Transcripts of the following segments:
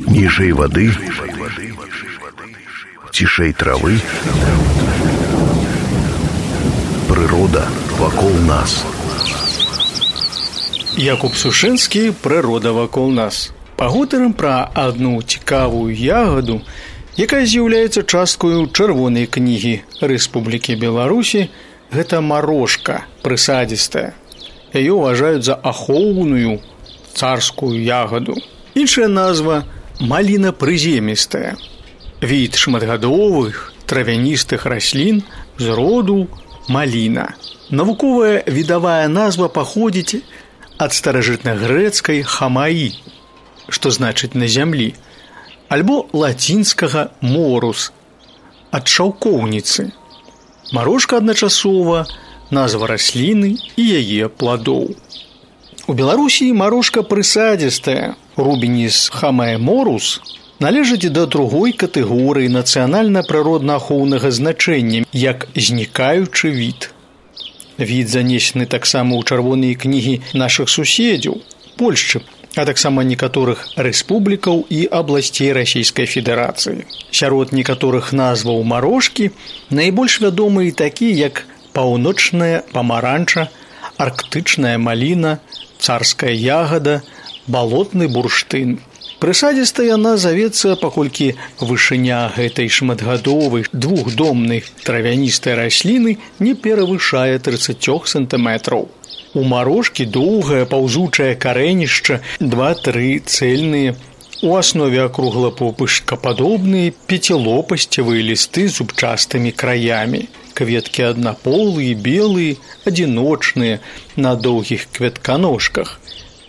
Ніжэй вады, цішэй травы, прырода вакол нас. Якуб Сушынскі «Прырода вакол нас». Пагутарым пра адну цікавую ягаду, якая з'яўляецца часткаю чырвонай кнігі Рэспублікі Беларусі. Гэта марошка прысадзістая. Яе ўважаюць за ахоўную царскую ягаду. Іншая назва маліна прыземістая. Від шматгадовых травяністых раслін з роду маліна. Навуковая відавая назва паходзіць ад старажытнагрэцкай хамаі, што значыць на зямлі, альбо лацінскага морус, ад шаўкоўніцы. Марошка адначасова назва расліны і яе пладоў. У Беларусі марошка прысадзістая, рубеніс хамае морус, належыць да другой катэгорыі нацыянальна-прыродна-ахоўнага значэння, як знікаючы від. Від занесены таксама ў чырвоныя кнігі нашых суседзяў, Польшчы, а таксама некаторых рэспублікаў і абласцей Расійскай Федэрацыі. Сярод некаторых назваў марошкі найбольш вядомыя такія, як паўночная памаранча, арктычная маліна, царская ягада, балотны бурштын. Прысадзістая яна завецца, паколькі вышыня гэтай шматгадовай двухдомнай травяністай расліны не перавышае 30 сантыметраў. У марошкі доўгае паўзучае карэнішча, 2-3 цэльныя, у аснове акруглапопышкападобныя пяцілопасцевыя лісты з зубчастымі краямі. Кветкі аднаполыя, белыя, адзіночныя, на доўгіх кветканожках.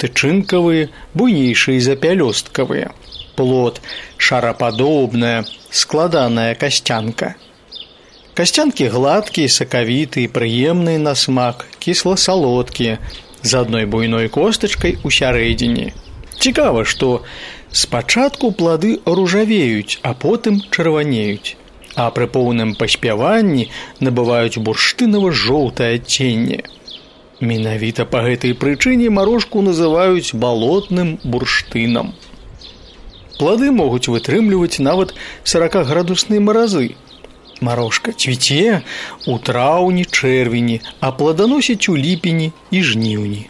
Тычынкавыя, буйнейшыя за пялёсткавыя. Плод шарападобная, складаная касцянка. Касцянкі гладкія, сакавітыя, прыемныя на смак, кісла-салодкія, з адной буйной костачкай у сярэдзіне. Цікава, што спачатку плады ружавеюць, а потым чырванеюць, а пры поўным паспяванні набываюць бурштынава-жоўтае адценне. Менавіта па гэтай прычыне марошку называюць балотным бурштынам. Плады могуць вытрымліваць нават 40-градусныя маразы. Марошка цвіце ў траўні-чэрвені, а пладаносіць у ліпені і жніўні.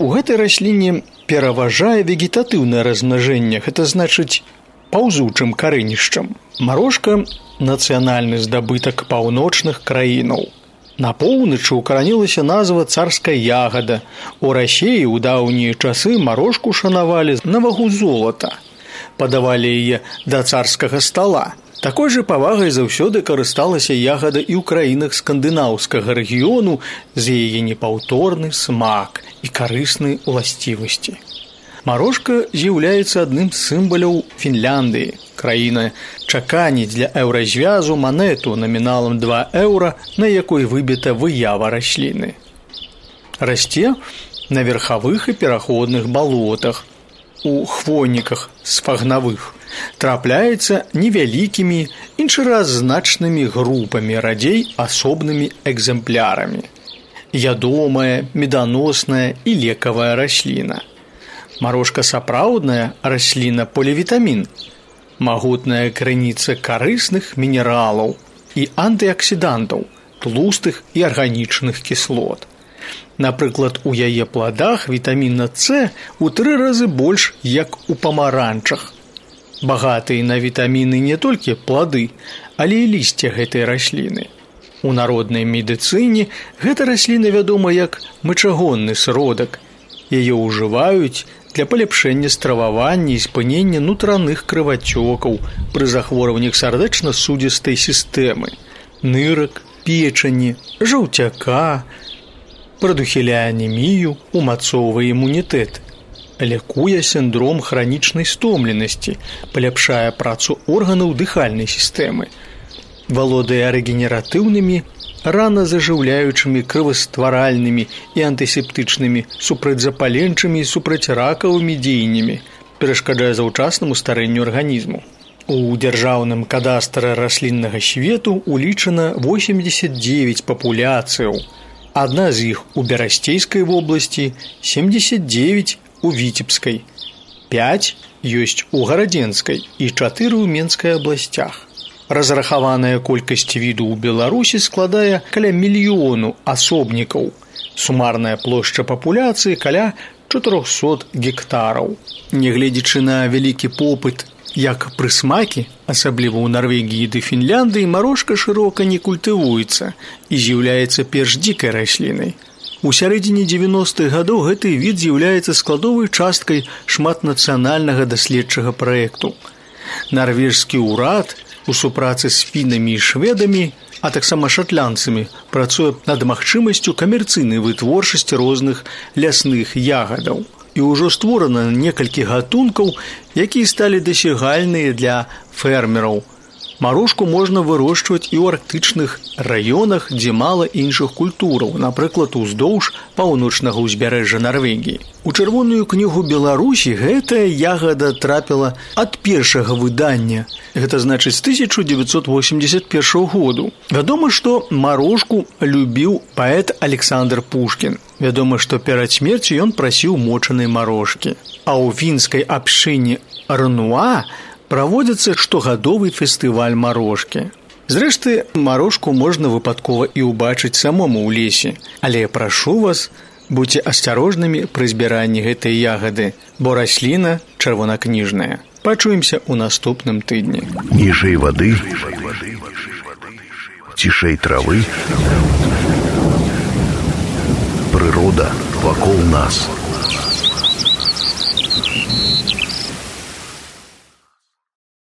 У гэтай расліне пераважае вегетатыўнае размнажэнне, гэта значыць паўзучым карэнішчам. Марошка – нацыянальны здабытак паўночных краінаў. На поўначы укаранілася назва царская ягада. У Расіі ў даўнія часы марошку шанавалі на вагу золата. Падавалі яе да царскага стала. Такой жа павагай заўсёды карысталася ягада і ў краінах скандынаўскага рэгіёну за яе непаўторны смак і карысныя ўласцівасці. Марошка з'яўляецца адным з сімваляў Фінляндыі. Краіна чаканіць для еўразвязу манету наміналам 2 еўра, на якой выбіта выява расліны. Расце на верхавых і пераходных балотах, у хвойніках сфагнавых. Трапляецца невялікімі, іншы раз значнымі групамі, радзей асобнымі экземплярамі. Ядомая, меданосная і лекавая расліна. Марошка сапраўдная расліна полівітамін, магутная крыніца карысных мінералаў і антыаксідантаў, тлустых і арганічных кіслот. Напрыклад, у яе пладах вітаміна С у 3 разы больш, як у памаранчах. Багатыя на вітаміны не толькі плады, але і лісце гэтай расліны. У народнай медыцыне гэта расліна вядома як мачагонны сродак. Яе ўжываюць для паляпшэння стрававання і спынення нутраных крывацёкаў пры захворваннях сардэчна-судзістай сістэмы, нырак, печані, жаўцяка, прадухіляе анемію, умацоўвае імунітэт, лякуе сіндром хранічнай стомленасці, паляпшае працу органаў дыхальнай сістэмы, валодае рэгенератыўнымі, рана зажыўляючымі, крывастваральнымі і антысептычнымі, супрацьзапаленчымі і супрацьракавымі дзеяннямі, перашкаджае заўчаснаму старэнню арганізму. У дзяржаўным кадастры расліннага свету улічана 89 папуляцыяў. Адна з іх у Берасцейскай вобласці, 79 у Віцебскай. 5 ёсць у Гарадзенскай і 4 ў Менскай абласцях. Разрахаваная колькасць віду ў Беларусі складае каля 1 мільёну асобнікаў. Сумарная плошча папуляцыі каля 400 гектараў. Нягледзячы на вялікі попыт як прысмакі, асабліва ў Нарвегіі ды Фінляндыі, марошка шырока не культывуецца і з'яўляецца перш дзікай раслінай. У сярэдзіне 90-х гадоў гэты від з'яўляецца складовай часткай шматнацыянальнага даследчага праекту. Нарвежскі ўрад у супрацы з фінамі і шведамі, а таксама шатландцамі, працуе над магчымасцю камерцыйнай вытворчасці розных лясных ягадаў. І ўжо створана некалькі гатункаў, якія сталі дасягальныя для фермераў. Марошку можна вырошчваць і ў арктычных раёнах, дзе мала іншых культураў, напрыклад, уздоўж паўночнага ўзбярэжжа Нарвегіі. У Чырвоную кнігу Беларусі гэтая ягада трапіла ад першага выдання, гэта значыць з 1981 году. Вядома, што марошку любіў паэт Александр Пушкін. Вядома, што перад смерцю ён прасіў мочанай марошкі. А ў фінскай абшчыне Рнуа праводзіцца штогадовы фестываль марошкі. Зрэшты, марошку можна выпадкова і ўбачыць самому ў лесе. Але я прашу вас, будьце асцярожнымі пры збіранні гэтай ягады, бо расліна чырвонакніжная. Пачуемся ў наступным тыдні. Ніжэй вады, цішэй травы, прырода вакол нас.